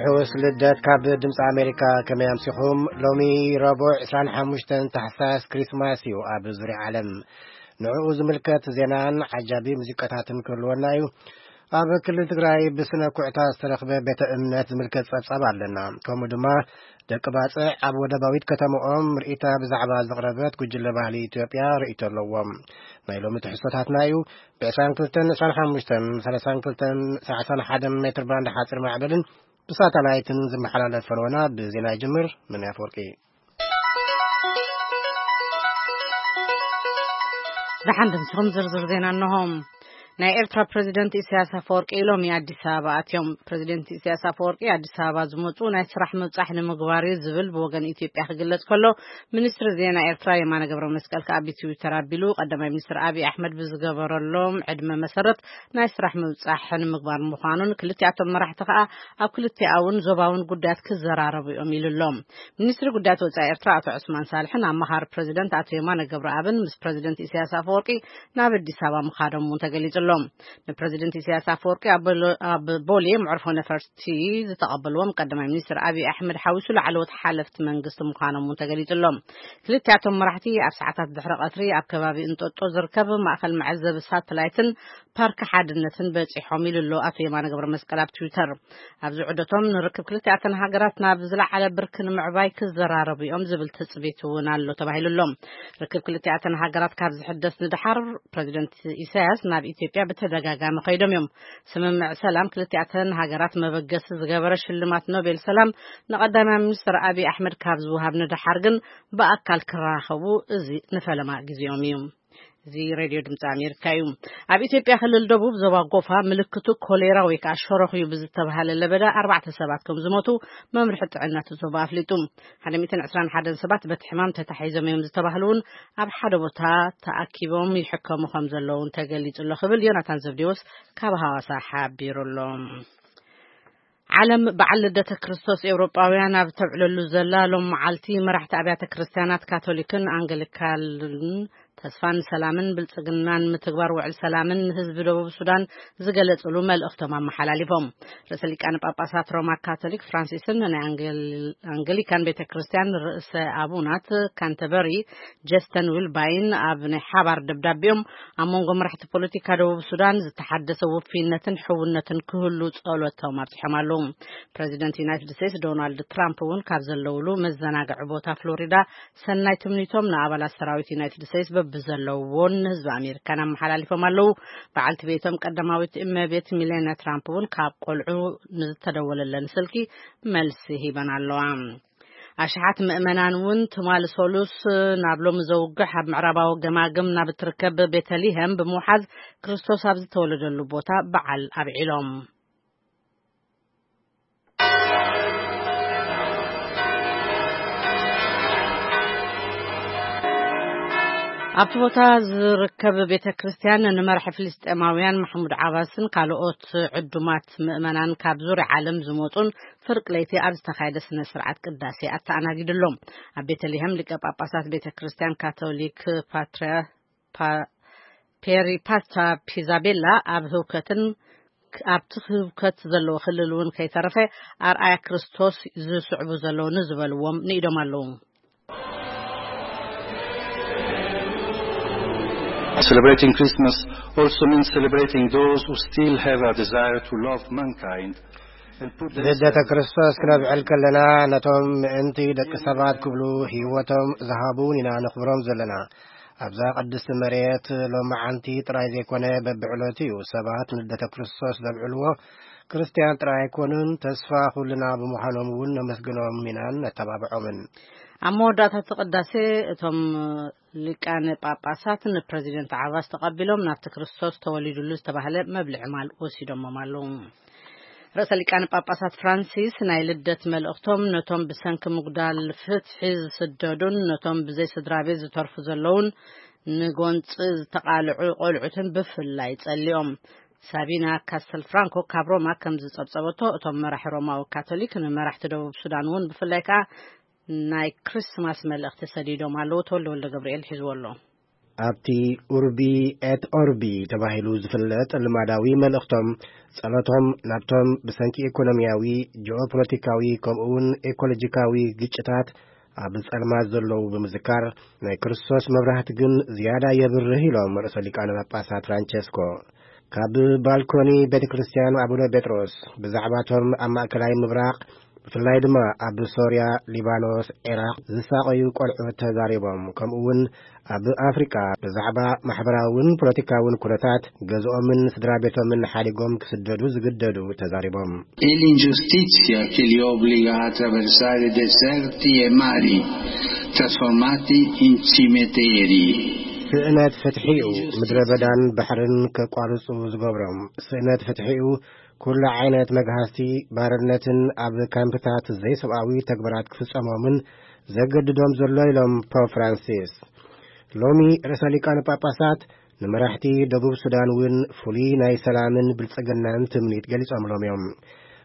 ሕውስ ልደት ካብ ድምፂ ኣሜሪካ። ከመይ ኣምሲኹም? ሎሚ ረቡዕ ዕስራን ሓሙሽተን ታሕሳስ ክሪስማስ እዩ ኣብ ዙርያ ዓለም። ንዕኡ ዝምልከት ዜናን ዓጃቢ ሙዚቃታትን ክህልወና እዩ። ኣብ ክልል ትግራይ ብስነ ኩዕታ ዝተረኽበ ቤተ እምነት ዝምልከት ጸብጻብ ኣለና። ከምኡ ድማ ደቂ ባጽዕ ኣብ ወደባዊት ከተማኦም ርእይታ ብዛዕባ ዘቕረበት ጉጅለ ባህሊ ኢትዮጵያ ርእይቶ ኣለዎም። ናይ ሎሚ ትሕዝቶታትና እዩ። ብ22፣ 25፣ 32፣ 31 ሜትር ባንድ ሓጺር ማዕበልን ብሳተላይትን ዝመሓላለፍ ፈነወና ብዜና ይጅምር። ምን ኣፈወርቂ። ደሓን ድምፅኹም ዝርዝር ዜና እነሆም። ናይ ኤርትራ ፕሬዚደንት ኢሳያስ ኣፈወርቂ ሎሚ ኣዲስ ኣበባ ኣትዮም። ፕሬዚደንት ኢሳያስ ኣፈወርቂ ኣዲስ ኣበባ ዝመፁ ናይ ስራሕ ምብፃሕ ንምግባር እዩ ዝብል ብወገን ኢትዮጵያ ክግለጽ ከሎ፣ ሚኒስትሪ ዜና ኤርትራ የማነ ገብረ መስቀል ከኣ ብትዊተር ኣቢሉ፣ ቀዳማይ ሚኒስትር ኣብይ ኣሕመድ ብዝገበረሎም ዕድመ መሰረት ናይ ስራሕ ምብፃሕ ንምግባር ምዃኑን፣ ክልቲኣቶም መራሕቲ ከኣ ኣብ ክልቲኣውን ዞባውን ጉዳያት ክዘራረቡ እዮም ኢሉ ኣሎ። ሚኒስትሪ ጉዳያት ወጻኢ ኤርትራ ኣቶ ዑስማን ሳልሕን ኣማኻሪ ፕሬዚደንት ኣቶ የማነ ገብረኣብን ምስ ፕሬዚደንት ኢሳያስ ኣፈወርቂ ናብ ኣዲስ ኣበባ ምኻዶም እውን ተገሊጹ ኣሎ። ንፕሬዚደንት ኢሳያስ ኣፈወርቂ ኣብ ቦሎ-፣ ኣብ ቦሌ መዕርፎ ነፈርቲ ዝተቐበልዎም ቀዳማይ ሚኒስትር ኣብይ ኣሕመድ ሓዊሱ ላዕለዎት ሓለፍቲ መንግስቲ ምዃኖም እውን ተገሊጹ ኣሎ። ክልቲኣቶም መራሕቲ ኣብ ሰዓታት ድሕሪ ቀትሪ ኣብ ከባቢ እንጦጦ ዝርከብ ማእከል መዐዘቢ ሳተላይትን ፓርክ ሓድነትን በጺሖም ኢሉ ኣሎ ኣቶ የማነ ገብረ መስቀል ኣብ ትዊተር። ኣብዚ ዑደቶም ንርክብ ክልቲኣተን ሃገራት ናብ ዝለዓለ ብርኪ ንምዕባይ ክዘራረቡ እዮም ዝብል ትጽቢት እውን ኣሎ ተባሂሉ ኣሎ። ርክብ ክልቲኣተን ሃገራት ካብ ዝሕደስ ንደሓር ፕሬዚደንት ኢሳያስ ናብ ኢትዮጵያ ብተደጋጋሚ ከይዶም እዮም። ስምምዕ ሰላም ክልቲኣተን ሃገራት መበገሲ ዝገበረ ሽልማት ኖቤል ሰላም ንቀዳማይ ሚኒስትር ኣብይ ኣሕመድ ካብ ዝወሃብ ንደሓር ግን ብኣካል ክራኸቡ እዚ ንፈለማ ግዜኦም እዩ። እዚ ሬድዮ ድምፂ ኣሜሪካ እዩ። ኣብ ኢትዮጵያ ክልል ደቡብ ዞባ ጎፋ ምልክቱ ኮሌራ ወይ ከዓ ሸሮኽ እዩ ብዝተባሃለ ለበዳ ኣርባዕተ ሰባት ከም ዝሞቱ መምርሒ ጥዕና እቲ ዞባ ኣፍሊጡ። ሓደ ሚእትን ዕስራን ሓደን ሰባት በቲ ሕማም ተታሒዞም እዮም ዝተባህሉ እውን ኣብ ሓደ ቦታ ተኣኪቦም ይሕከሙ ከም ዘለውን ተገሊጹ ኣሎ ክብል ዮናታን ዘብዴዎስ ካብ ሃዋሳ ሓቢሩ ኣሎ። ዓለም በዓል ልደተ ክርስቶስ ኤውሮጳውያን ኣብ ተብዕለሉ ዘላ ሎም መዓልቲ፣ መራሕቲ ኣብያተ ክርስቲያናት ካቶሊክን ኣንገሊካልን ተስፋን ሰላምን ብልጽግናን ምትግባር ውዕል ሰላምን ንህዝቢ ደቡብ ሱዳን ዝገለጽሉ መልእኽቶም ኣመሓላሊፎም። ርእሰ ሊቃነ ጳጳሳት ሮማ ካቶሊክ ፍራንሲስን ናይ ኣንገል-፣ ኣንገሊካን ቤተ ክርስቲያን ርእሰ ኣቡናት ካንተበሪ ጀስተን ዊልባይን ኣብ ናይ ሓባር ደብዳቤኦም ኣብ መንጎ መራሕቲ ፖለቲካ ደቡብ ሱዳን ዝተሓደሰ ውፍይነትን ሕውነትን ክህሉ ጸሎቶም ኣብጺሖም ኣለዉ። ፕሬዚደንት ዩናይትድ ስቴትስ ዶናልድ ትራምፕ እውን ካብ ዘለውሉ መዘናግዒ ቦታ ፍሎሪዳ ሰናይ ትምኒቶም ንኣባላት ሰራዊት ዩናይትድ ስቴትስ በብዘለውዎን ንህዝቢ ኣሜሪካን ኣመሓላሊፎም ኣለዉ። በዓልቲ ቤቶም ቀዳማዊት እመቤት ሚሌኒያ ትራምፕ እውን ካብ ቆልዑ ንዝተደወለለን ስልኪ መልሲ ሂበን ኣለዋ። ኣሽሓት ምእመናን እውን ትማሊ ሰሉስ ናብ ሎሚ ዘውግሕ ኣብ ምዕራባዊ ገማግም ናብ እትርከብ ቤተልሔም ብምውሓዝ ክርስቶስ ኣብ ዝተወለደሉ ቦታ በዓል ኣብዒሎም። ኣብቲ ቦታ ዝርከብ ቤተ ክርስቲያን ንመራሒ ፍልስጤማውያን ማሕሙድ ዓባስን ካልኦት ዕዱማት ምእመናን ካብ ዙርያ ዓለም ዝመጹን ፍርቂ ለይቲ ኣብ ዝተኻየደ ስነ ስርዓት ቅዳሴ ኣተኣናጊዱ ኣሎ። ኣብ ቤተልሔም ሊቀ ጳጳሳት ቤተ ክርስቲያን ካቶሊክ ፓትርያ-፣ ፓ-፣ ፔሪፓስታ ፒዛቤላ ኣብ ህውከትን ኣብቲ ህውከት ዘለዎ ክልል እውን ከይተረፈ ኣርኣያ ክርስቶስ ዝስዕቡ ዘለዉ ንዝበልዎም ንኢዶም ኣለዉ። Celebrating Christmas also means celebrating those who still have a desire to love mankind and put the ልደተ ክርስቶስ ክነብዕል ከለና ነቶም ምእንቲ ደቂ ሰባት ክብሉ ህይወቶም ዝሃቡ ኢና ነኽብሮም ዘለና። ኣብዛ ቅድስቲ መሬት ሎማዓንቲ ጥራይ ዘይኮነ በብዕለቱ እዩ ሰባት ንልደተ ክርስቶስ ዘብዕልዎ። ክርስትያን ጥራይ ኣይኮኑን፣ ተስፋ ኩልና ብምዃኖም እውን ነመስግኖም ኢናን ነተባብዖምን። ኣብ መወዳእታ እቲ ቅዳሴ እቶም ሊቃነ ጳጳሳት ንፕረዚደንት ዓባስ ተቐቢሎም ናብቲ ክርስቶስ ተወሊዱሉ ዝተባህለ መብልዒ ማል ወሲዶሞም ኣለዉ። ርእሰ ሊቃነ ጳጳሳት ፍራንሲስ ናይ ልደት መልእኽቶም ነቶም ብሰንኪ ምጉዳል ፍትሒ ዝስደዱን ነቶም ብዘይ ስድራ ቤት ዝተርፉ ዘለውን ንጎንፂ ዝተቓልዑ ቆልዑትን ብፍላይ ጸሊኦም። ሳቢና ካስተል ፍራንኮ ካብ ሮማ ከም ዝጸብጸበቶ፣ እቶም መራሒ ሮማዊ ካቶሊክ ንመራሕቲ ደቡብ ሱዳን እውን ብፍላይ ከኣ ናይ ክሪስማስ መልእኽቲ ሰዲዶም ኣለዉ። ተወልደ ወልደ ገብርኤል ሒዝዎ ኣሎ። ኣብቲ ኡርቢ ኤት ኦርቢ ተባሂሉ ዝፍለጥ ልማዳዊ መልእኽቶም፣ ጸሎቶም ናብቶም ብሰንኪ ኢኮኖሚያዊ፣ ጂኦፖለቲካዊ፣ ከምኡውን ኤኮሎጂካዊ ግጭታት ኣብ ጸልማት ዘለዉ ብምዝካር፣ ናይ ክርስቶስ መብራህቲ ግን ዝያዳ የብርህ ኢሎም ርእሰ ሊቃነ ጳጳሳት ፍራንቸስኮ። ካብ ባልኮኒ ቤተ ክርስቲያን ኣቡነ ጴጥሮስ ብዛዕባቶም ኣብ ማእከላይ ምብራቕ፣ ብፍላይ ድማ ኣብ ሶርያ፣ ሊባኖስ፣ ዒራቕ ዝሳቐዩ ቆልዑት ተዛሪቦም። ከምኡ እውን ኣብ ኣፍሪቃ ብዛዕባ ማሕበራውን ፖለቲካውን ኩነታት ገዝኦምን ስድራ ቤቶምን ሓዲጎም ክስደዱ ዝግደዱ ተዛሪቦም። E l'ingiustizia che li obbliga a attraversare deserti e mari trasformati in cimiteri. ስእነት ፍትሒኡ ምድረ በዳን ባሕርን ከቋርጹ ዝገብሮም። ስእነት ፍትሒኡ ኩሉ ዓይነት መግሃስቲ፣ ባርነትን ኣብ ካምፕታት ዘይሰብኣዊ ተግባራት ክፍጸሞምን ዘገድዶም ዘሎ ኢሎም ፖፕ ፍራንሲስ። ሎሚ ርእሰ ሊቃነ ጳጳሳት ንመራሕቲ ደቡብ ሱዳን እውን ፍሉይ ናይ ሰላምን ብልጽግናን ትምኒት ገሊጾምሎም እዮም።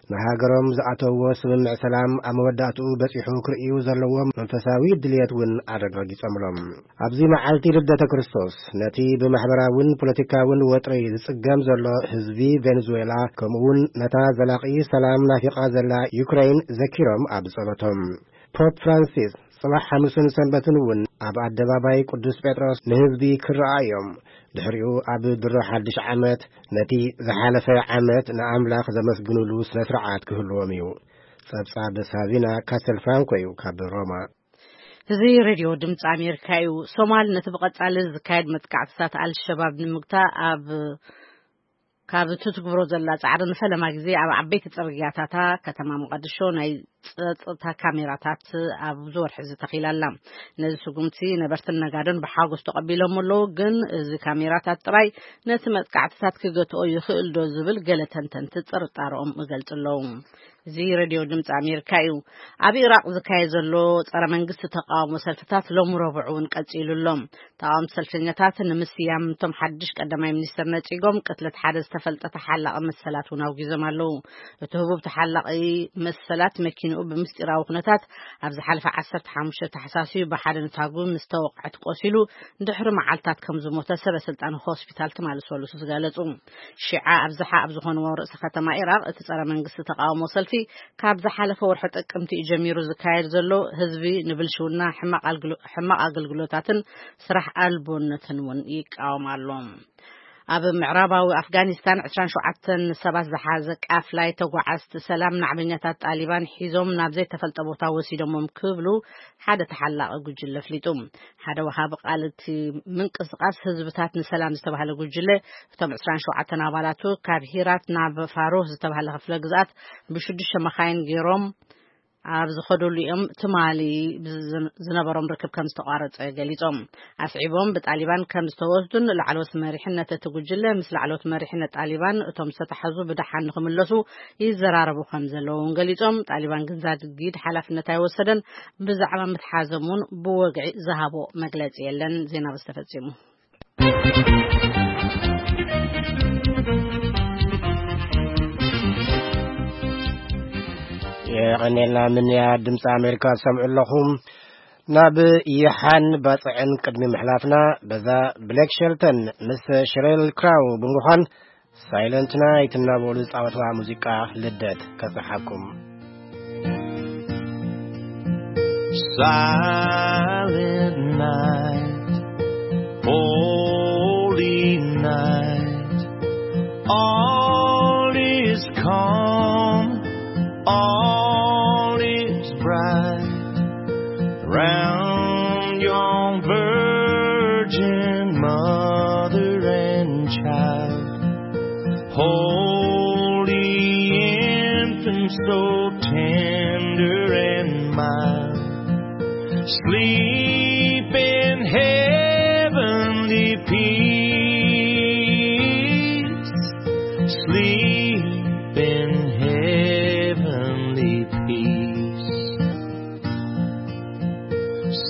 ንሃገሮም ዝኣተውዎ ስምምዕ ሰላም ኣብ መወዳእትኡ በጺሑ ክርእዩ ዘለዎም መንፈሳዊ ድልየት እውን ኣረጋጊጾምሎም። ኣብዚ መዓልቲ ልደተ ክርስቶስ ነቲ ብማሕበራውን ፖለቲካውን ወጥሪ ዝጽገም ዘሎ ህዝቢ ቬንዙዌላ፣ ከምኡውን ነታ ዘላቒ ሰላም ናፊቓ ዘላ ዩክሬን ዘኪሮም ኣብ ጸሎቶም። ፖፕ ፍራንሲስ ጽባሕ ሓሙስን ሰንበትን እውን ኣብ ኣደባባይ ቅዱስ ጴጥሮስ ንህዝቢ ክረኣዮም። ድሕሪኡ ኣብ ድሮ ሓድሽ ዓመት ነቲ ዝሓለፈ ዓመት ንኣምላኽ ዘመስግኑሉ ስነ ስርዓት ክህልዎም እዩ። ጸብጻብ ሳቪና ካስተል ፍራንኮ እዩ ካብ ሮማ። እዚ ሬድዮ ድምፂ ኣሜሪካ እዩ። ሶማል ነቲ ብቐጻሊ ዝካየድ መጥቃዕትታት ኣልሸባብ ንምግታእ ኣብ ካብ ትትግብሮ ዘላ ጻዕሪ ንፈለማ ግዜ ኣብ ዓበይቲ ጽርግያታታ ከተማ መቐድሾ ናይ ጸጥታ ካሜራታት ኣብ ዝወርሒ ዝተኺላ ኣላ። ነዚ ስጉምቲ ነበርትን ነጋዶን ብሓጎስ ተቐቢሎም ኣለዉ፣ ግን እዚ ካሜራታት ጥራይ ነቲ መጥቃዕትታት ክገትኦ ይኽእል ዶ ዝብል ገለ ተንተንቲ ጥርጣረኦም ይገልጹ ኣለዉ። እዚ ሬድዮ ድምፂ ኣሜሪካ እዩ። ኣብ ኢራቕ ዝካየድ ዘሎ ጸረ መንግስቲ ተቃውሞ ሰልፍታት ሎሚ ረቡዕ እውን ቀጺሉ ኣሎ። ተቃወምቲ ሰልፈኛታት ንምስያም እቶም ሓድሽ ቀዳማይ ሚኒስትር ነጺጎም ቅትለት ሓደ ዝተፈልጠ ተሓላቒ መሰላት እውን ኣውጊዞም ኣለዉ። እቲ ህቡብ ተሓላቒ መሰላት መኪንኡ ብምስጢራዊ ኩነታት ኣብ ዝሓለፈ ዓሰርተ ሓሙሽተ ታሕሳስ እዩ ብሓደ ንታጉ ምስ ተወቕዐት ቆሲሉ ድሕሪ መዓልታት ከም ዝሞተ ሰበ ስልጣን ሆስፒታል ትማሊ ሰሉስ ዝገለጹ። ሺዓ ኣብዝሓ ኣብ ዝኾንዎ ርእሰ ከተማ ኢራቕ እቲ ጸረ መንግስቲ ተቃውሞ ሰልፊ ካብ ዝሓለፈ ወርሒ ጥቅምቲ እዩ ጀሚሩ ዝካየድ ዘሎ። ህዝቢ ንብልሽውና፣ ሕማቕ ኣልግሎ-፣ ሕማቕ ኣገልግሎታትን ስራሕ ኣልቦነትን እውን ይቃወም ኣሎ። ኣብ ምዕራባዊ ኣፍጋኒስታን ዕስራን ሸውዓተን ሰባት ዝሓዘ ቃፍላይ ተጓዓዝቲ ሰላም ናዕበኛታት ጣሊባን ሒዞም ናብ ዘይተፈልጠ ቦታ ወሲዶሞም ክብሉ ሓደ ተሓላቒ ጉጅለ ኣፍሊጡ። ሓደ ወሃቢ ቃል እቲ ምንቅስቃስ ህዝብታት ንሰላም ዝተባህለ ጉጅለ፣ እቶም ዕስራን ሸውዓተን ኣባላቱ ካብ ሂራት ናብ ፋሩህ ዝተባህለ ክፍለ ግዝኣት ብሽዱሽተ መኻይን ገይሮም ኣብ ዝኸደሉ እዮም ትማሊ ዝነበሮም ርክብ ከም ዝተቋረጸ ገሊጾም። ኣስዒቦም ብጣሊባን ከም ዝተወስዱን ላዕለዎት መሪሕነት እቲ ጉጅለ ምስ ላዕለዎት መሪሕነት ጣሊባን እቶም ዝተታሕዙ ብደሓን ንኽምለሱ ይዘራረቡ ከም ዘለዉ እውን ገሊጾም። ጣሊባን ግን ዛጊድ ሓላፍነት ኣይወሰደን። ብዛዕባ ምትሓዞም እውን ብወግዒ ዝሃቦ መግለጺ የለን። ዜና በዚ ተፈጺሙ። የቐኔልና ምንያ ድምፂ ኣሜሪካ ትሰምዑ ኣለኹም። ናብ ይሓን ባፅዕን ቅድሚ ምሕላፍና፣ በዛ ብሌክ ሸልተን ምስ ሸሬል ክራው ብምዃን ሳይለንት ናይት እናበሉ ዝፃወትዋ ሙዚቃ ልደት ከብፅሓኩም። Silent night, holy night, all is calm, all is bright, round yon virgin mother and child. Holy infant, so tender and mild, sleep in heavenly peace, sleep in heavenly peace.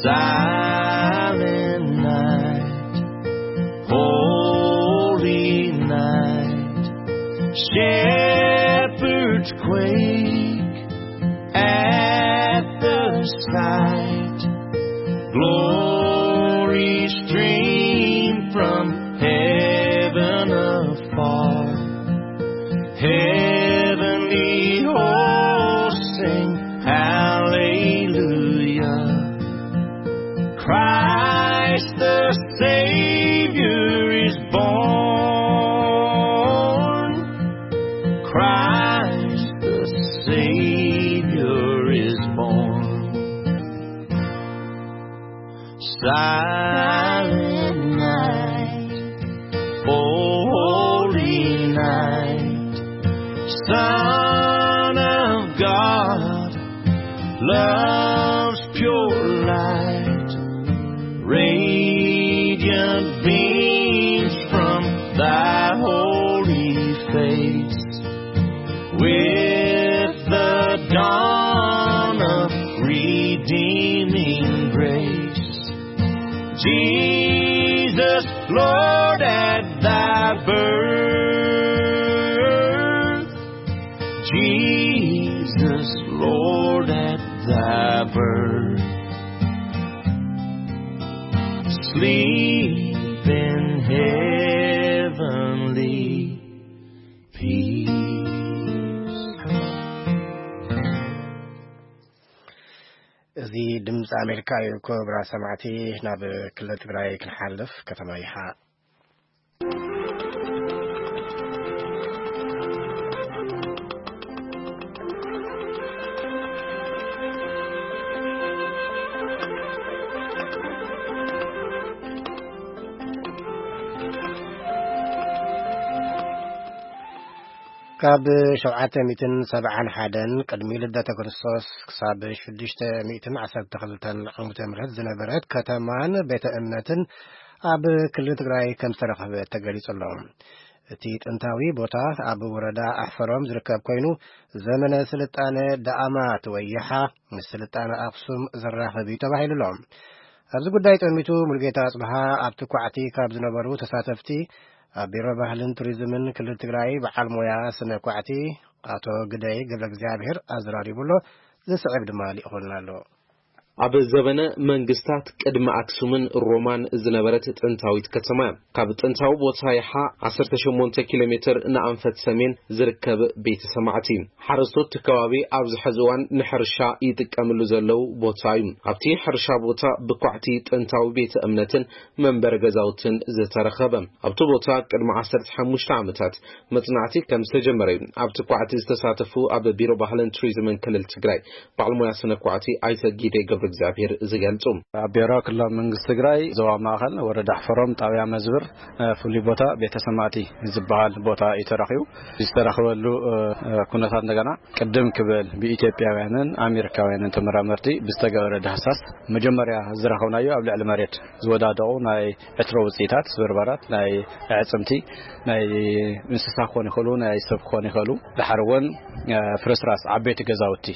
Silent night, holy night, shepherds quake at the sight. Glory streams Son of God, love's pure light, radiant beams from thy holy face, with the dawn of redeeming grace. Jesus, Lord, at thy birth. Jesus, Lord, at thy birth. Sleep in heavenly peace. እዚ ድምፂ ኣሜሪካ እዩ። ክቡራት ሰማዕቲ፣ ናብ ክልል ትግራይ ክንሓልፍ። ከተማ ይሓ ካብ ሸውዓተ ሚእትን ሰብዓን ሓደን ቅድሚ ልደተ ክርስቶስ ክሳብ ሽዱሽተ ሚእትን ዓሰርተ ክልተን ዓመተ ምህረት ዝነበረት ከተማን ቤተ እምነትን ኣብ ክልል ትግራይ ከም ዝተረኸበ ተገሊጹ ኣሎ። እቲ ጥንታዊ ቦታ ኣብ ወረዳ ኣሕፈሮም ዝርከብ ኮይኑ፣ ዘመነ ስልጣነ ዳኣማት ወይ ይሓ ምስ ስልጣነ ኣክሱም ዘራኽብ እዩ ተባሂሉ ኣሎ። ኣብዚ ጉዳይ ጠሚቱ ሙሉጌታ ኣጽብሃ ኣብቲ ኳዕቲ ካብ ዝነበሩ ተሳተፍቲ ኣብ ቢሮ ባህልን ቱሪዝምን ክልል ትግራይ በዓል ሞያ ስነ ኳዕቲ ኣቶ ግደይ ገብረ እግዚኣብሔር ኣዘራሪቡ ኣሎ። ዝስዕብ ድማ ልኢኹልና ኣሎ። ኣብ ዘበነ መንግስታት ቅድሚ ኣክሱምን ሮማን ዝነበረት ጥንታዊት ከተማ እያ። ካብ ጥንታዊ ቦታ ይሓ ዓሰርተ ሸሞንተ ኪሎ ሜትር ንኣንፈት ሰሜን ዝርከብ ቤተ ሰማዕቲ እዩ። ሓረስቶት እቲ ከባቢ ኣብዚ ሕዚ እዋን ንሕርሻ ይጥቀምሉ ዘለዉ ቦታ እዩ። ኣብቲ ሕርሻ ቦታ ብኳዕቲ ጥንታዊ ቤተ እምነትን መንበሪ ገዛውትን ዝተረኸበ። ኣብቲ ቦታ ቅድሚ ዓሰርተ ሓሙሽተ ዓመታት መጽናዕቲ ከም ዝተጀመረ እዩ ኣብቲ ኳዕቲ ዝተሳተፉ ኣብ ቢሮ ባህልን ቱሪዝምን ክልል ትግራይ በዓል ሞያ ስነ ኳዕቲ ኣይተ ጊደይ ገብረ እግዚኣብሔር ዝገልጹ። ኣብ ቢሮ ክልላዊ መንግስቲ ትግራይ ዞባ ማእኸል ወረዳ ኣሕፈሮም ጣብያ መዝብር፣ እ፣ ፍሉይ ቦታ ቤተ ሰማዕቲ ዝበሃል ቦታ እዩ ተረኺቡ። ዝተረኸበሉ፣ እ፣ እ፣ ኩነታት እንደገና ቅድም ክብል ብኢትዮጵያውያንን ኣሜሪካውያንን ተመራመርቲ ብዝተገበረ ዳህሳስ መጀመርያ ዝረኸብናዮ ኣብ ልዕሊ መሬት ዝወዳደቑ ናይ ዕትሮ ውፅኢታት፣ ስብርባራት፣ ናይ ኣዕፅምቲ፣ ናይ እንስሳ ክኾኑ ይኽእሉ፣ ናይ ሰብ ክኾኑ ይኽእሉ። ድሓር እውን፣ እ፣ ፍርስራስ ዓበይቲ ገዛውቲ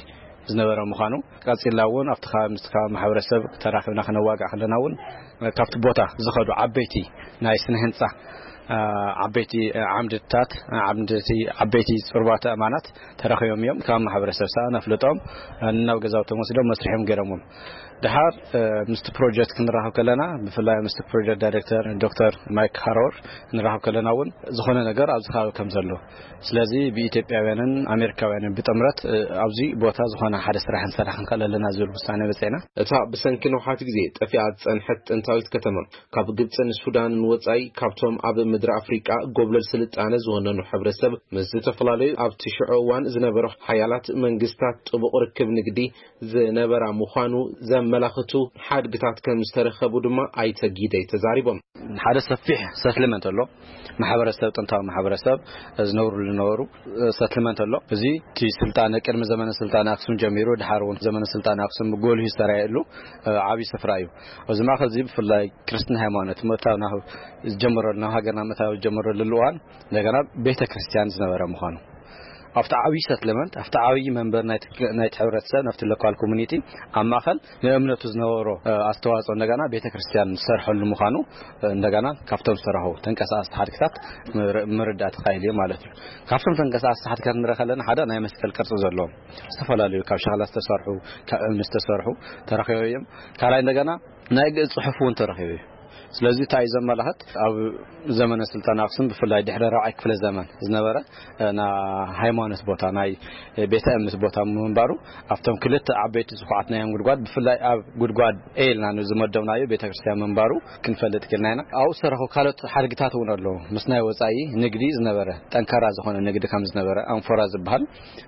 ዝነበረ ምዃኑ፣ ቀጺልና እውን ኣብቲ ከባቢ ምስቲ ከባቢ ማሕበረሰብ ተራኺብና ክነዋግዕ ከለና እውን፣ እ፣ ካብቲ ቦታ ዝኸዱ ዓበይቲ ናይ ስነ ህንጻ፣ እ፣ ዓበይቲ፣ እ፣ ዓምድታት፣ እ፣ ዓምድቲ፣ ዓበይቲ ጽሩባተ ኣእማናት ተረኺቦም እዮም። ካብ ማሕበረሰብ ሰኣን ኣፍልጦም፣ እ፣ ናብ ገዛውቶም ወሲዶም መስርሖም ገይሮምዎም። ድሓር፣ እ፣ ምስቲ ፕሮጀክት ክንራኸብ ከለና፣ ብፍላይ ምስቲ ፕሮጀክት ዳይሬክተር ዶክተር ማይክ ሃሮር ንራኸብ ከለና እውን፣ ዝኾነ ነገር ኣብዚ ከባቢ ከም ዘሎ፣ ስለዚ ብኢትዮጵያውያንን ኣሜሪካውያንን ብጥምረት፣ እ፣ ኣብዚ ቦታ ዝኾነ ሓደ ስራሕ ክንሰርሕ ክንክእል ኣለና ዝብል ውሳኔ በጺሕና። እታ ብሰንኪ ነውሓት ግዜ ጠፊኣ ዝጸንሐት ጥንታዊት ከተማ፣ ካብ ግብጽን ሱዳንን ወጻኢ፣ ካብቶም ኣብ ምድሪ ኣፍሪቃ ጎብለል ስልጣነ ዝወነኑ ሕብረተሰብ ምስ ዝተፈላለዩ ኣብቲ ሽዑ እዋን ዝነበሩ ሓያላት መንግስታት ጥቡቕ ርክብ ንግዲ ዝነበራ ምዃኑ ዘመላኽቱ ሓድግታት ከም ዝተረኸቡ ድማ ኣይተ ጊደይ ተዛሪቦም። ሓደ ሰፊሕ ሰትልመንት ኣሎ። ማሕበረሰብ፣ ጥንታዊ ማሕበረሰብ ዝነብሩሉ ዝነበሩ ሰትልመንት ኣሎ። እዚ እቲ ስልጣነ፣ ቅድሚ ዘመነ ስልጣነ ኣክሱም ጀሚሩ፣ ድሓር እውን ዘመነ ስልጣነ ኣክሱም ጎልሁ ዝተራእየሉ፣ እ፣ ዓብዪ ስፍራ እዩ። ኣብዚ ማእከል እዚ ብፍላይ ክርስትና ሃይማኖት ምእታው ናብ ዝጀመረሉ፣ ናብ ሃገርና ምእታው ዝጀመረሉ እዋን እንደገና ቤተ ክርስቲያን ዝነበረ ምዃኑ፣ ኣብቲ ዓብዪ ሰትልመንት፣ ኣብቲ ዓብዪ መንበር ናይቲ፣ ናይቲ ሕብረተሰብ፣ ናብቲ ሎካል ኮሚኒቲ ኣብ ማእከል ንእምነቱ ዝነበሮ፣ እ፣ ኣስተዋጽኦ እንደገና ቤተ ክርስቲያን ዝሰርሐሉ ምዃኑ፣ እ፣ እንደገና ካብቶም ዝተረኸቡ ተንቀሳቐስቲ ሓድግታት ምር-፣ ምርዳእ ተኻኢሉ እዩ ማለት እዩ። ካብቶም ተንቀሳቐስቲ ሓድግታት ንርኢ ከለና ሓደ ናይ መስቀል ቅርጺ ዘለዎም ዝተፈላለዩ ካብ ሸኽላ ዝተሰርሑ፣ ካብ እምኒ ዝተሰርሑ ተረኺቦም እዮም። ካልኣይ እንደገና ናይ ግእዝ ጽሑፍ እውን ተረኺቡ እዩ። ስለዚ እንታይ እዩ ዘመላኽት? ኣብ ዘመነ ስልጣን ኣክሱም ብፍላይ ድሕሪ ራብዓይ ክፍለ ዘመን ዝነበረ፣ እ፣ ናይ ሃይማኖት ቦታ፣ ናይ ቤተ እምነት ቦታ ምንባሩ፣ ኣብቶም ክልተ ዓበይቲ ዝኹዓትናዮም ጉድጓድ፣ ብፍላይ ኣብ ጉድጓድ ኤ ኢልና ንዝመደብናዮ ቤተክርስትያን ምንባሩ ክንፈልጥ ክኢልና ኢና። ኣብኡ ዝተረኹ ካልኦት ሓድግታት እውን ኣለዉ። ምስ ናይ ወጻኢ ንግዲ ዝነበረ፣ ጠንካራ ዝኾነ ንግዲ ከም ዝነበረ፣ ኣንፎራ ዝበሃል፣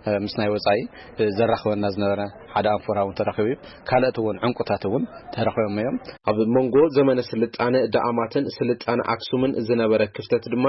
እ፣ ምስ ናይ ወጻኢ፣ እ፣ ዘራኽበና ዝነበረ ሓደ ኣንፎራ እውን ተረኺቡ እዩ። ካልኦት እውን ዕንቁታት እውን ተረኺቦም እዮም። ኣብ መንጎ ዘመነ ስልጣን ንዳኣማትን ስልጣነ ኣክሱምን ዝነበረ ክፍተት ድማ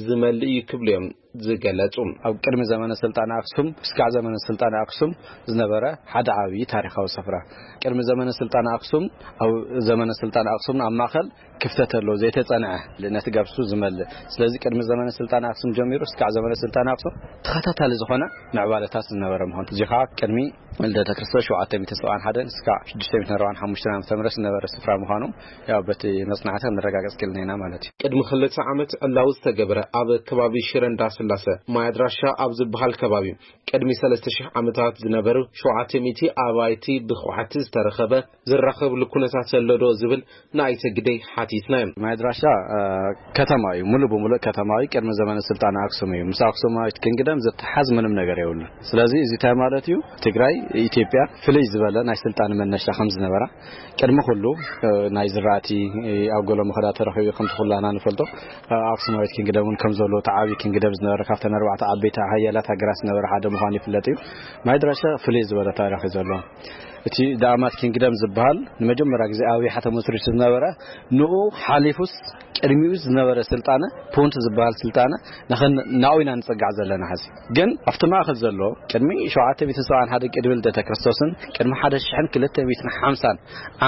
ዝመልእ እዩ ክብሉ እዮም ዝገለጹ። ኣብ ቅድሚ ዘመነ ስልጣነ ኣክሱም እስካዕ ዘመነ ስልጣነ ኣክሱም ዝነበረ ሓደ ዓብዪ ታሪኻዊ ስፍራ፣ ቅድሚ ዘመነ ስልጣነ ኣክሱም፣ ኣብ ዘመነ ስልጣነ ኣክሱም ኣብ ማእኸል ክፍተት ኣለዎ ዘይተጸንዐ፣ ነቲ ገብሱ ዝመልእ። ስለዚ ቅድሚ ዘመነ ስልጣነ ኣክሱም ጀሚሩ እስካዕ ዘመነ ስልጣነ ኣክሱም ተኸታታሊ ዝኾነ ምዕባለታት ዝነበረ ምዃኑ፣ እዚ ከዓ ቅድሚ ልደተ ክርስቶስ ሸውዓተ ሚእቲ ሰብዓን ሓደን እስካዕ ሽዱሽተ ሚእቲ ኣርባዓን ሓሙሽተን ዓመተ ምህረት ዝነበረ ስፍራ ምዃኑ፣ ያው በቲ መጽናዕቲ ክንረጋገጽ ክኢልና ኢና ማለት እዩ። ቅድሚ ክልተ ዓመት ዕላዊ ዝተገብረ ኣብ ከባቢ ሽረ እንዳስላሰ ማይ ኣድራሻ ኣብ ዝበሃል ከባቢ ቅድሚ ሰለስተ ሽሕ ዓመታት ዝነበሩ ሸውዓተ ሚእቲ ኣባይቲ ብኳዕቲ ዝተረኸበ ዝራኸብሉ ኩነታት ዘሎ ዶ ዝብል ንኣይተ ግደይ ሓቲትና እዮም። ማይ ኣድራሻ፣ እ፣ ከተማ እዩ፣ ሙሉእ ብሙሉእ ከተማ እዩ። ቅድሚ ዘመነ ስልጣነ ኣክሱም እዩ። ምስ ኣክሱማዊት ኪንግደም ዝተሓዝ ምንም ነገር የብሉን። ስለዚ እዚ እንታይ ማለት እዩ? ትግራይ ኢትዮጵያ ፍልይ ዝበለ ናይ ስልጣነ መነሻ ከም ዝነበራ፣ ቅድሚ ኩሉ፣ እ፣ ናይ ዝራእቲ፣ እ፣ ኣብ ገሎ መኸዳ ተረኺቡ ከምቲ ኩላና ንፈልጦ፣ እ፣ ኣክሱማዊት ኪንግደም እውን ከም ዘሎ እቲ ዓብዪ ኪንግደም ዝነበረ ካብተን ኣርባዕተ ዓበይቲ ሓያላት ሃገራት ዝነበረ ሓደ ምዃኑ ይፍለጥ እዩ። ማይ ኣድራሻ ፍልይ ዝበለ ታሪኽ እዩ ዘለዎ። እቲ ዳኣማት ኪንግደም ዝበሃል ንመጀመርያ ግዜ ኣብ ይሓ ተመስሪቱ ዝነበረ፣ ንኡ ሓሊፉስ ቅድሚኡ ዝነበረ ስልጣነ፣ ፑንት ዝበሃል ስልጣነ፣ ንኸን-፣ ናኡ ኢና ንጸጋዕ ዘለና። ሕዚ ግን ኣብቲ ማእከል ዘሎ፣ ቅድሚ ሸውዓተ ሚእትን ሰብዓን ሓደ ቅድሚ ልደተ ክርስቶስን ቅድሚ ሓደ ሽሕን ክልተ ሚእትን ሓምሳን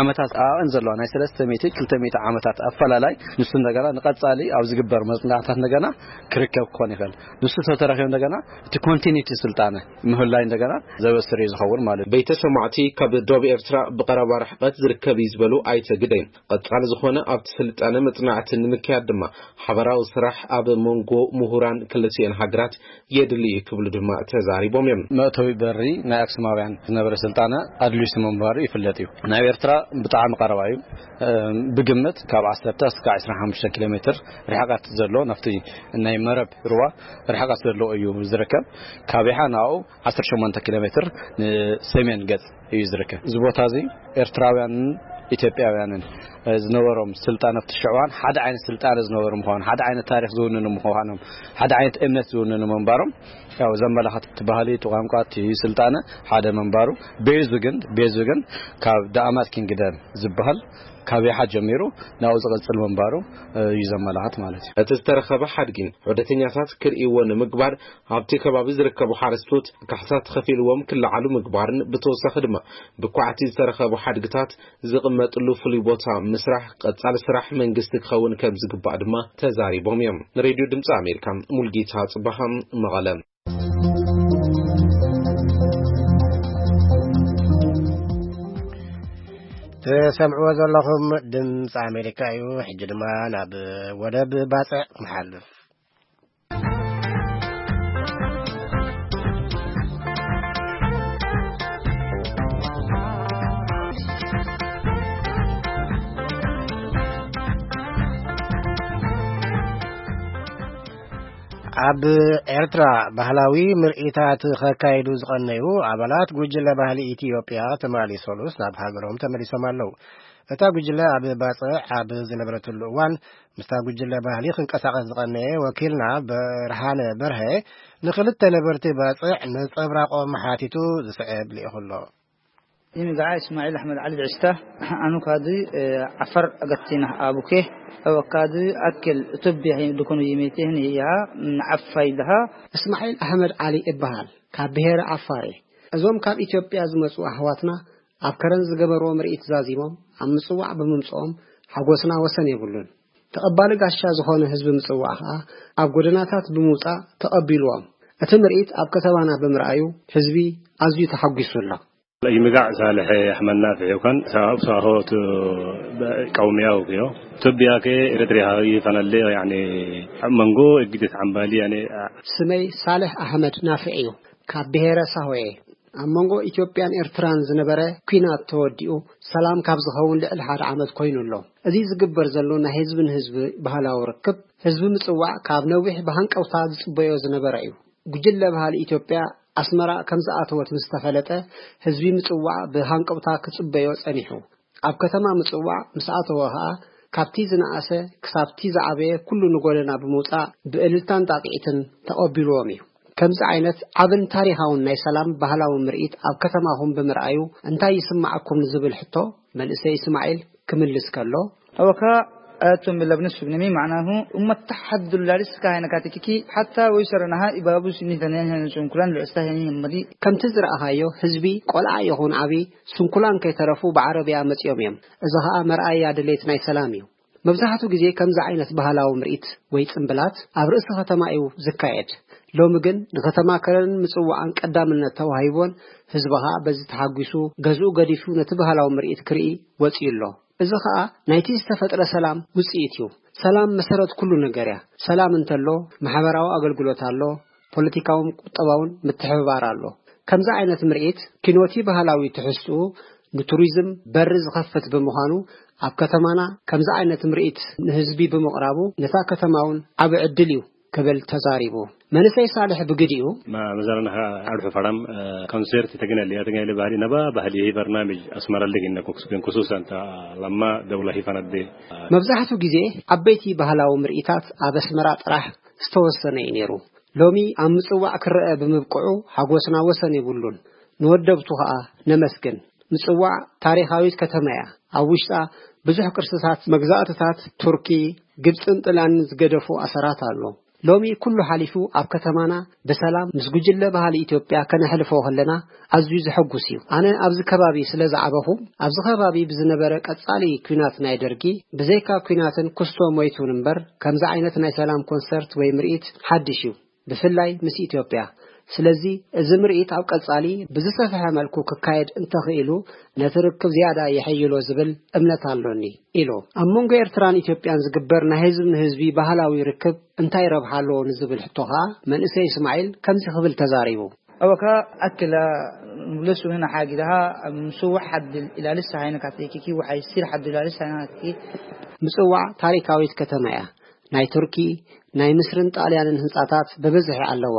ዓመታት ኣቐን ዘለዋ ናይ ሰለስተ ሚእቲ ክልተ ሚእቲ ዓመታት ኣፈላላይ፣ ንሱ እንደገና ንቐጻሊ ኣብ ዝግበር መጽናዕታት እንደገና ክርከብ ክኾን ይኽእል። ንሱ ተተረኺቡ እንደገና እቲ ኮንቲኒቲ ስልጣነ ምህላይ እንደገና ዘበስር እዩ ዝኸውን ማለት እዩ። ቤተ ሰማዕቲ ካብ ዶብ ኤርትራ ብቐረባ ርሕቀት ዝርከብ እዩ ዝበሉ ኣይተ ግደይ፣ ቀጻሊ ዝኾነ ኣብቲ ስልጣነ መጽናዕቲ ንምክያድ ድማ ሓበራዊ ስራሕ ኣብ መንጎ ምሁራን ክልቲኤን ሃገራት የድሊ እዩ ክብሉ ድማ ተዛሪቦም እዮም። መእተዊ በሪ ናይ ኣክሱማውያን ዝነበረ ስልጣነ ኣድልዩስ ምንባሩ ይፍለጥ እዩ። ናብ ኤርትራ ብጣዕሚ ቀረባ እዩ። እም፣ ብግምት ካብ ዓሰርተ እስካዕ ዕስራን ሓሙሽተን ኪሎ ሜትር ርሕቀት ዘሎ፣ ናብቲ ናይ መረብ ሩባ ርሕቀት ዘለዎ እዩ ዝርከብ። ካብ ይሓ ናብኡ ዓሰርተ ሸሞንተ ኪሎ ሜትር ንሰሜን ገጽ እዩ ዝርከብ። እዚ ቦታ እዚ ኤርትራውያንን ኢትዮጵያውያንን፣ እ፣ ዝነበሮም ስልጣነ ኣብቲ ሽዕዋን ሓደ ዓይነት ስልጣነ ዝነበሩ ምዃኑ፣ ሓደ ዓይነት ታሪኽ ዝውንኑ ምዃኖም፣ ሓደ ዓይነት እምነት ዝውንኑ ምንባሮም ያው ዘመላኽት፣ እቲ ባህሊ፣ እቲ ቋንቋ፣ እቲ ስልጣነ ሓደ ምንባሩ፣ ቤዙ ግን፣ ቤዙ ግን ካብ ዳኣማት ኪንግደም ዝበሃል ካብ ይሓ ጀሚሩ ናብኡ ዝቕጽል ምንባሩ፣ እ፣ እዩ ዘመላኽት ማለት እዩ። እቲ ዝተረኸበ ሓድጊ ዑደተኛታት ክርእይዎ ንምግባር ኣብቲ ከባቢ ዝርከቡ ሓረስቶት ካሕሳ ተኸፊልዎም ክለዓሉ ምግባርን ብተወሳኺ ድማ ብኳዕቲ ዝተረኸቡ ሓድግታት ዝቕመጥሉ ፍሉይ ቦታ ምስራሕ ቀጻሊ ስራሕ መንግስቲ ክኸውን ከም ዝግባእ ድማ ተዛሪቦም እዮም። ንሬድዮ ድምፂ ኣሜሪካ ሙልጌታ ጽባኻ መቐለ። ትሰምዕዎ ዘለኹም ድምፂ ኣሜሪካ እዩ። ሕጂ ድማ ናብ ወደብ ባጽዕ ንሓልፍ። ኣብ ኤርትራ ባህላዊ ምርኢታት ከካይዱ ዝቐነዩ ኣባላት ጉጅለ ባህሊ ኢትዮጵያ ትማሊ ሰሉስ ናብ ሃገሮም ተመሊሶም ኣለዉ። እታ ጉጅለ ኣብ ባጽዕ ኣብ ዝነበረትሉ እዋን፣ ምስታ ጉጅለ ባህሊ ክንቀሳቐስ ዝቐነየ ወኪልና ብርሃነ በርሀ ንኽልተ ነበርቲ ባጽዕ ነጸብራቖም ሓቲቱ ዝስዕብ ልኢኹ ኣሎ። ይንጋዓ እስማዒል ኣሕመድ ዓሊ ብዕስታ፣ ኣኑ ካዲ፣ እ፣ ዓፈር ኣገቲና ኣቡኬ፣ ኣወ ካዲ ኣክል እቶብያ ዱኮኑ ይሜቴህን ይያ፣ ዓፋይ ለሃ። እስማዒል ኣሕመድ ዓሊ እበሃል፣ ካብ ብሄረ ዓፋር እየ። እዞም ካብ ኢትዮጵያ ዝመጹ ኣሕዋትና ኣብ ከረን ዝገበርዎ ምርኢት ዛዚሞም ኣብ ምጽዋዕ ብምምጽኦም ሓጎስና ወሰን የብሉን። ተቐባሊ ጋሻ ዝኾነ ህዝቢ ምጽዋዕ ከኣ ኣብ ጎደናታት ብምውጻእ ተቐቢልዎም። እቲ ምርኢት ኣብ ከተማና ብምርኣዩ ህዝቢ ኣዝዩ ተሓጒሱ ኣሎ። ይምጋዕ ሳልሕ ኣሕመድ ናፍዕ ይኮን ሳብ ሳሆት ቀውሚያው ኪዮ። ኢትዮጵያ ከ ኤርትሪያ ይፈነል ያኒ መንጎ እግደት ዓምባሊ ያኒ። ስመይ ሳልሕ ኣሕመድ ናፍዕ እዩ። ካብ ብሄረ ሳሆ እየ። ኣብ መንጎ ኢትዮጵያን ኤርትራን ዝነበረ ኲናት ተወዲኡ ሰላም ካብ ዝኸውን ልዕሊ ሓደ ዓመት ኮይኑ ኣሎ። እዚ ዝግበር ዘሎ ናይ ህዝቢ ንህዝቢ ባህላዊ ርክብ፣ ህዝቢ ምጽዋዕ ካብ ነዊሕ ብሃንቀውታ ዝጽበዮ ዝነበረ እዩ። ጉጅለ ባህሊ ኢትዮጵያ ኣስመራ ከም ዝኣተወት ምስ ተፈለጠ፣ ህዝቢ ምጽዋዕ ብሃንቀውታ ክጽበዮ ጸኒሑ። ኣብ ከተማ ምጽዋዕ ምስ ኣተወ ኸኣ፣ ካብቲ ዝነኣሰ ክሳብቲ ዝዓበየ ኩሉ ንጎደና ብምውጻእ ብእልልታን ጣቕዒትን ተቐቢልዎም እዩ። ከምዚ ዓይነት ዓብን ታሪኻውን ናይ ሰላም ባህላዊ ምርኢት ኣብ ከተማኹም ብምርኣዩ እንታይ ይስምዓኩም ንዝብል ሕቶ፣ መንእሰይ እስማዒል ክምልስ ከሎ፣ ኣወካ ኣቶም ብለብነ ሱግነሚ ማዕናሁ እመታ ሓዱላ ልስካ ሃይነ ካቲኪኪ ሓታ ወይ ሰረናሃ ኢባቡ ስኒ ተነን ሄነ ሱንኩላን ልዕስታ ሄኒ መዲ። ከምቲ ዝረኣኻዮ ህዝቢ ቆልዓ ይኹን ዓቢ ስንኩላን ከይተረፉ ብዓረብያ መጺኦም እዮም። እዚ ኸኣ መርኣያ ድሌት ናይ ሰላም እዩ። መብዛሕቱ ግዜ ከምዚ ዓይነት ባህላዊ ምርኢት ወይ ጽምብላት ኣብ ርእሲ ከተማ እዩ ዝካየድ። ሎሚ ግን ንከተማ ከረንን ምጽዋዕን ቀዳምነት ተዋሂቦን ህዝቢ ኸኣ በዚ ተሓጒሱ ገዝኡ ገዲፉ ነቲ ባህላዊ ምርኢት ክርኢ ወጺኡ ኣሎ። እዚ ኸኣ ናይቲ ዝተፈጥረ ሰላም ውጽኢት እዩ። ሰላም መሰረት ኩሉ ነገር እያ። ሰላም እንተሎ ማሕበራዊ ኣገልግሎት ኣሎ፣ ፖለቲካውን ቁጠባውን ምትሕብባር ኣሎ። ከምዚ ዓይነት ምርኢት ኪኖቲ ባህላዊ ትሕዝትኡ ንቱሪዝም በሪ ዝኸፍት ብምዃኑ ኣብ ከተማና ከምዚ ዓይነት ምርኢት ንህዝቢ ብምቕራቡ ነታ ከተማ እውን ዓቢ ዕድል እዩ ክብል ተዛሪቡ። መንእሰይ ሳልሕ ብግዲኡ፣ ما مثلا أرحو فرام كونسيرت تجنالي تجنالي بحري نبا بحلي هي برنامج أسمر اللي هنا كوكس بين خصوصا تا لما دولة هي فند መብዛሕቱ ግዜ ዓበይቲ ባህላዊ ምርኢታት ኣብ ኣስመራ ጥራሕ ዝተወሰነ እዩ ነይሩ። ሎሚ ኣብ ምጽዋዕ ክረአ ብምብቅዑ ሓጎስና ወሰን የብሉን። ንወደብቱ ኸኣ ነመስግን። ምጽዋዕ ታሪኻዊት ከተማ እያ። ኣብ ውሽጣ ብዙሕ ቅርስታት መግዛእትታት ቱርኪ፣ ግብጽን ጥልያንን ዝገደፉ ኣሰራት ኣሎ። ሎሚ ኩሉ ሓሊፉ ኣብ ከተማና ብሰላም ምስ ጉጅለ ባህሊ ኢትዮጵያ ከነሕልፎ ከለና ኣዝዩ ዘሐጉስ እዩ። ኣነ ኣብዚ ከባቢ ስለ ዝዓበኹ፣ ኣብዚ ከባቢ ብዝነበረ ቀጻሊ ኲናት ናይ ደርጊ፣ ብዘይካ ኲናትን ኩስቶ ሞይቱን እምበር፣ ከምዚ ዓይነት ናይ ሰላም ኮንሰርት ወይ ምርኢት ሓድሽ እዩ፣ ብፍላይ ምስ ኢትዮጵያ። ስለዚ እዚ ምርኢት ኣብ ቀጻሊ ብዝሰፍሐ መልኩ ክካየድ እንተኽኢሉ፣ ነቲ ርክብ ዝያዳ የሐይሎ ዝብል እምነት ኣሎኒ ኢሉ። ኣብ መንጎ ኤርትራን ኢትዮጵያን ዝግበር ናይ ህዝቢ ንህዝቢ ባህላዊ ርክብ እንታይ ረብሓ ኣለዎ ንዝብል ሕቶ ኸኣ መንእሰይ እስማዒል ከምዚ ክብል ተዛሪቡ። أوكا أكل لسو هنا حاجة لها مسوح حد الإلالس هاينا كاتيكي وحي يصير حد الإلالس هاينا كاتيكي ምጽዋዕ ታሪካዊት ከተማ እያ። ናይ ቱርኪ፣ ናይ ምስርን ጣልያንን ህንጻታት ብብዝሒ ኣለዋ።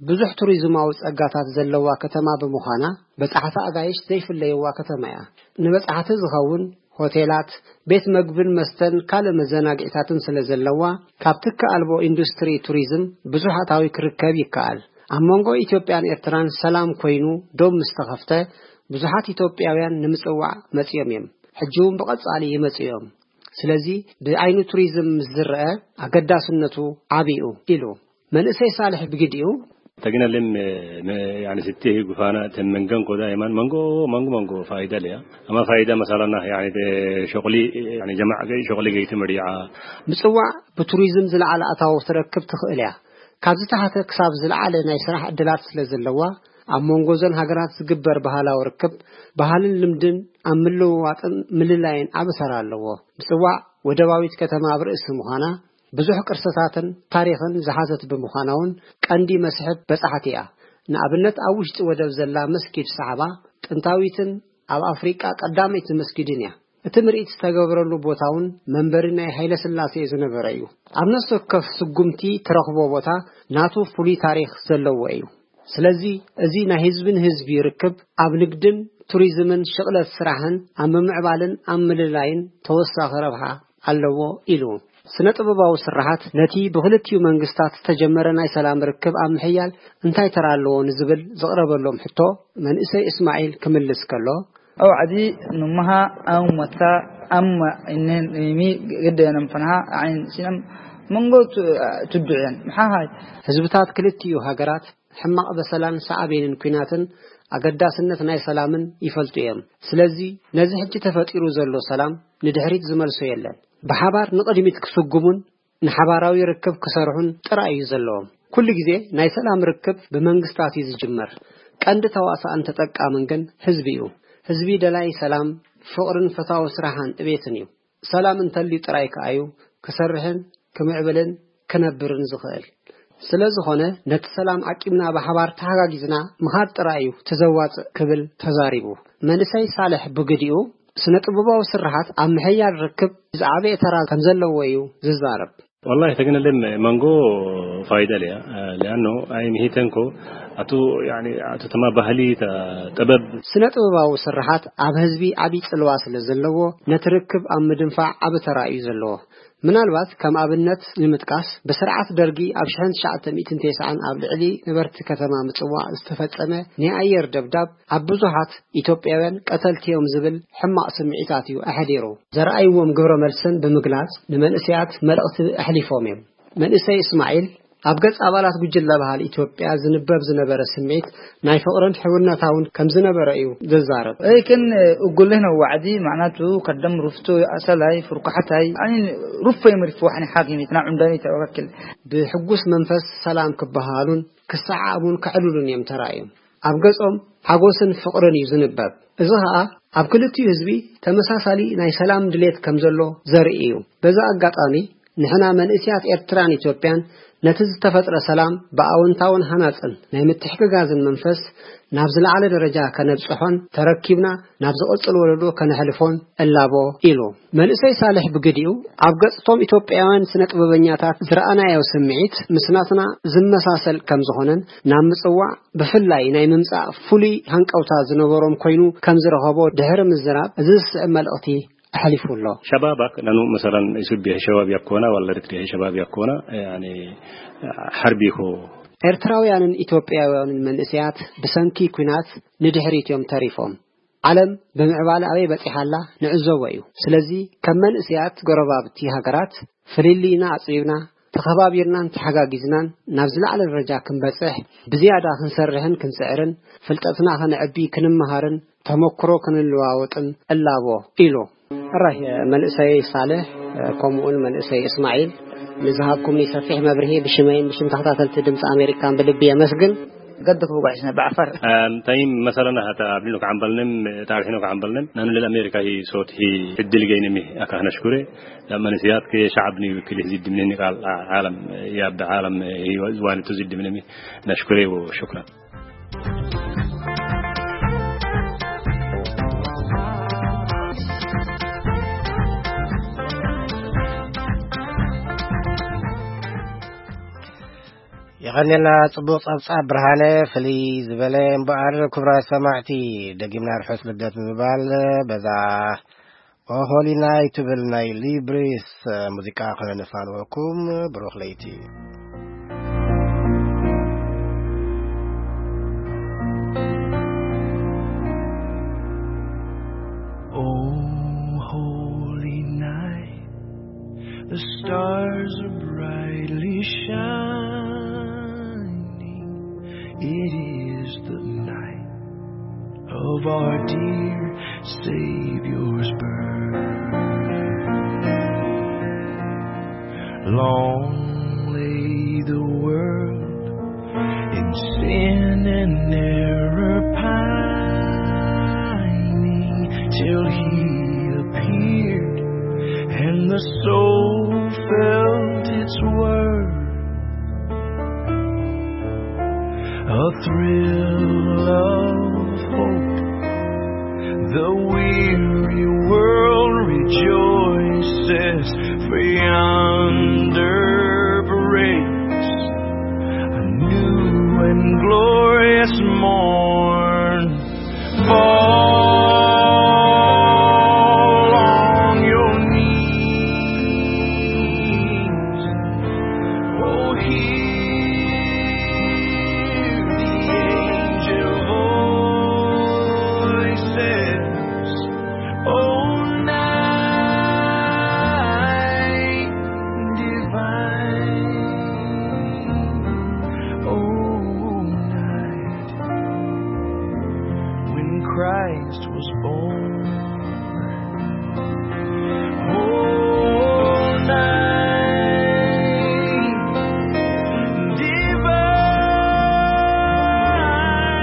ብዙሕ ቱሪዝማዊ ጸጋታት ዘለዋ ከተማ ብምዃና፣ በጻሕቲ ኣጋይሽ ዘይፍለይዋ ከተማ እያ። ንበጻሕቲ ዝኸውን ሆቴላት፣ ቤት መግብን መስተን ካልእ መዘናግዒታትን ስለ ዘለዋ፣ ካብ ትኪ ኣልቦ ኢንዱስትሪ ቱሪዝም ብዙሕ ኣታዊ ክርከብ ይከኣል። ኣብ መንጎ ኢትዮጵያን ኤርትራን ሰላም ኮይኑ ዶብ ምስ ተኸፍተ፣ ብዙሓት ኢትዮጵያውያን ንምጽዋዕ መጺኦም እዮም። ሕጂ እውን ብቐጻሊ ይመጹ እዮም። ስለዚ ብዓይኒ ቱሪዝም ምስ ዝረአ ኣገዳስነቱ ዓቢ እዩ ኢሉ። መንእሰይ ሳልሕ ብግዲኡ፣ ተግና ለም ያኒ ስቲ ጉፋና ተን መንገን ኮዳ የማን መንጎ መንጎ መንጎ ፋይዳ ለያ። ኣማ ፋይዳ መሳላና ያኒ ሸቁሊ ያኒ ጀማዕ ገይ ሸቁሊ ገይቲ መዲዓ። ምጽዋዕ ብቱሪዝም ዝለዓለ ኣታዊ ትረክብ ትኽእል እያ። ካብ ዝተሓተ ክሳብ ዝለዓለ ናይ ስራሕ ዕድላት ስለ ዘለዋ፣ ኣብ መንጎ እዘን ሃገራት ዝግበር ባህላዊ ርክብ፣ ባህልን ልምድን ኣብ ምልውዋጥን ምልላይን ዓቢ ተራ ኣለዎ። ምጽዋዕ ወደባዊት ከተማ ኣብ ርእሲ ምዃና፣ ብዙሕ ቅርስታትን ታሪኽን ዝሓዘት ብምዃና እውን ቀንዲ መስሕብ በጻሕቲ እያ። ንኣብነት ኣብ ውሽጢ ወደብ ዘላ መስጊድ ሳዕባ ጥንታዊትን ኣብ ኣፍሪቃ ቀዳመይቲ መስጊድን እያ። እቲ ምርኢት ዝተገብረሉ ቦታ እውን መንበሪ ናይ ሃይለ ስላሴ ዝነበረ እዩ። ኣብ ነፍሲ ወከፍ ስጉምቲ ትረኽቦ ቦታ ናቱ ፍሉይ ታሪኽ ዘለዎ እዩ። ስለዚ እዚ ናይ ህዝቢ ንህዝቢ ርክብ ኣብ ንግድን ቱሪዝምን ሽቕለት ስራሕን ኣብ ምምዕባልን ኣብ ምልላይን ተወሳኺ ረብሓ ኣለዎ ኢሉ። ስነ ጥበባዊ ስራሓት ነቲ ብክልቲኡ መንግስታት ዝተጀመረ ናይ ሰላም ርክብ ኣብ ምሕያል እንታይ ተራ ኣለዎ ንዝብል ዝቕረበሎም ሕቶ መንእሰይ እስማዒል ክምልስ ከሎ፣ أو عدي نمها أو متى أما إنن مي قد ينفنها عين سنم منقو تدعين محاهاي ህዝብታት ክልቲኡ ሃገራት ሕማቕ በሰላን ሳዕቤንን ኲናትን ኣገዳስነት ናይ ሰላምን ይፈልጡ እዮም። ስለዚ ነዚ ሕጂ ተፈጢሩ ዘሎ ሰላም ንድሕሪት ዝመልሶ የለን። ብሓባር ንቕድሚት ክስጉሙን ንሓባራዊ ርክብ ክሰርሑን ጥራይ እዩ ዘለዎም። ኩሉ ግዜ ናይ ሰላም ርክብ ብመንግስታት እዩ ዝጅመር። ቀንዲ ተዋሳእን ተጠቃምን ግን ህዝቢ እዩ። ህዝቢ ደላይ ሰላም፣ ፍቕርን ፈታዊ ስራሕን ዕቤትን እዩ። ሰላም እንተልዩ ጥራይ ከኣ እዩ ክሰርሕን ክምዕብልን ክነብርን ዝኽእል። ስለ ዝኾነ ነቲ ሰላም ዓቂብና ብሓባር ተሓጋጊዝና ምኻድ ጥራይ እዩ ተዘዋጽእ ክብል ተዛሪቡ። መንእሰይ ሳልሕ ብግዲኡ ስነ ጥበባዊ ስርሓት ኣብ ምሕያል ርክብ ዝዓበየ ተራ ከም ዘለዎ እዩ ዝዛረብ። والله تجنلم مانجو فايدة ليا لأنه أي مهيتنكو أتو يعني أتو تما بهلي تا ጥበብ ስነ ጥበባዊ ስርሓት ኣብ ህዝቢ ዓቢ ጽልዋ ስለ ዘለዎ ነቲ ርክብ ኣብ ምድንፋዕ ዓቢ ተራ እዩ ዘለዎ። ምናልባት ከም ኣብነት ንምጥቃስ፣ ብስርዓት ደርጊ ኣብ ሽሕን ትሽዓተ ሚእትን ተስዓን ኣብ ልዕሊ ነበርቲ ከተማ ምጽዋዕ ዝተፈጸመ ናይ ኣየር ደብዳብ ኣብ ብዙሓት ኢትዮጵያውያን ቀተልቲ እዮም ዝብል ሕማቕ ስምዒታት እዩ ኣሕዲሩ። ዘርኣይዎም ግብረ መልስን ብምግላጽ ንመንእሰያት መልእኽቲ ኣሕሊፎም እዮም። መንእሰይ እስማዒል ኣብ ገጽ ኣባላት ጉጅለ ባህሊ ኢትዮጵያ ዝንበብ ዝነበረ ስምዒት ናይ ፍቕርን ሕውነታውን ከም ዝነበረ እዩ ዝዛረብ። لكن أقول له وعدي معناته قدم رفتو أصلاي فرقحتاي يعني رفي مرفوحني حاكمي تنا عمداني توكل. ብሕጉስ መንፈስ ሰላም ክበሃሉን ክሰዓዓሙን ከዕልሉን እዮም ተራእዮም። ኣብ ገጾም ሓጎስን ፍቕርን እዩ ዝንበብ። እዚ ኸኣ ኣብ ክልቲኡ ህዝቢ ተመሳሳሊ ናይ ሰላም ድሌት ከም ዘሎ ዘርኢ እዩ። በዚ ኣጋጣሚ ንሕና መንእስያት ኤርትራን ኢትዮጵያን ነቲ ዝተፈጥረ ሰላም ብኣወንታውን ሃናጽን ናይ ምትሕግጋዝን መንፈስ ናብ ዝለዓለ ደረጃ ከነብጽሖን ተረኪብና ናብ ዝቕጽል ወለዶ ከነሕልፎን እላቦ ኢሉ። መንእሰይ ሳልሕ ብግዲኡ ኣብ ገጽቶም ኢትዮጵያውያን ስነ ጥበበኛታት ዝረኣናዮ ስምዒት ምስ ናትና ዝመሳሰል ከም ዝኾነን ናብ ምጽዋዕ ብፍላይ ናይ ምምጻእ ፍሉይ ሃንቀውታ ዝነበሮም ኮይኑ ከም ዝረኸቦ ድሕሪ ምዝራብ እዚ ዝስዕብ መልእኽቲ ኣሕሊፉ ኣሎ። شبابك لأنه مثلا يسب شباب يكونا ولا رتري شباب يكونا يعني حربي هو ኤርትራውያንን ኢትዮጵያውያንን መንእሰያት ብሰንኪ ኲናት ንድሕሪት እዮም ተሪፎም። ዓለም ብምዕባለ ኣበይ በጺሓ ኣላ ንዕዘቦ እዩ። ስለዚ ከም መንእሰያት ጎረባብቲ ሃገራት ፍልልይና ኣጽቢብና ተኸባቢርናን ተሓጋጊዝናን ናብ ዝለዓለ ደረጃ ክንበጽሕ ብዝያዳ ክንሰርሕን ክንጽዕርን ፍልጠትና ከነዕቢ ክንመሃርን ተመክሮ ክንለዋወጥን እላቦ ኢሉ። ሕራይ መንእሰይ ሳልሕ ከምኡውን መንእሰይ እስማዒል ንዝሃብኩምኒ ሰፊሕ መብርሂ ብሽመይን ብሽም ተኸታተልቲ ድምፂ ኣሜሪካን ብልቢ የመስግን። قدك بقعشنا بعفر. Tayim masalana hata abdino ka ambalnem ta abdino ka ambalnem nanu lil Amerika hi sot hi iddil gaynemi aka nashkure. Lamma nisiyat ke sha'abni wikil hi ziddi minni qal alam ya abd alam hi wani tu ziddi minni nashkure wa shukran. የቐንየልና። ጽቡቕ ጸብጻብ ብርሃነ። ፍልይ ዝበለ እምበኣር ክቡራት ሰማዕቲ፣ ደጊምና ርሑስ ልደት ብምባል በዛ ኦሆሊናይ ትብል ናይ ሊብሪስ ሙዚቃ ከነፋንወኩም። ብሩኽ ለይቲ። Oh, holy night, the stars are brightly shining. It is the night of our dear Savior's birth. Long lay the world in sin and error pining, till he appeared and the soul felt its worth. A thrill of hope, the weary world rejoices, for yonder breaks a new and glorious morn. Fall on your knees. Oh, hear the angel voices. Oh, night divine. Oh, night when Christ was born. Oh, night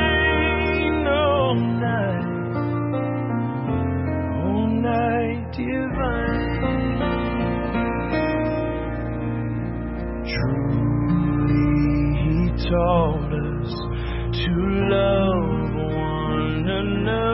divine, oh, night, oh, night divine. Truly he taught us to love one another.